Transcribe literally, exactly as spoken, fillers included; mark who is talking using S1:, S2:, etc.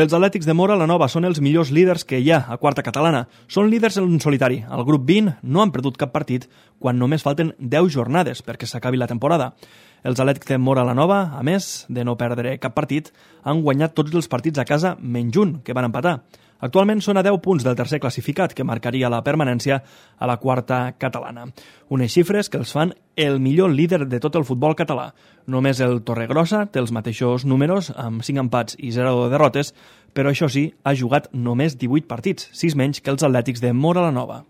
S1: Els Atlètics de Móra la Nova són els millors líders que hi ha a quarta catalana. Són líders en solitari. Al grup vint no han perdut cap partit quan només falten deu jornades perquè s'acabi la temporada. Els Atlètics de Móra la Nova, a més de no perdre cap partit, han guanyat tots els partits a casa menys un, que van empatar. Actualment són a deu punts del tercer classificat, que marcaria la permanència a la quarta catalana. Unes xifres que els fan el millor líder de tot el futbol català. Només el Torregrossa té els mateixos números, amb cinc empats i zero derrotes, però això sí, ha jugat només divuit partits, sis menys que els Atlètics de Móra la Nova.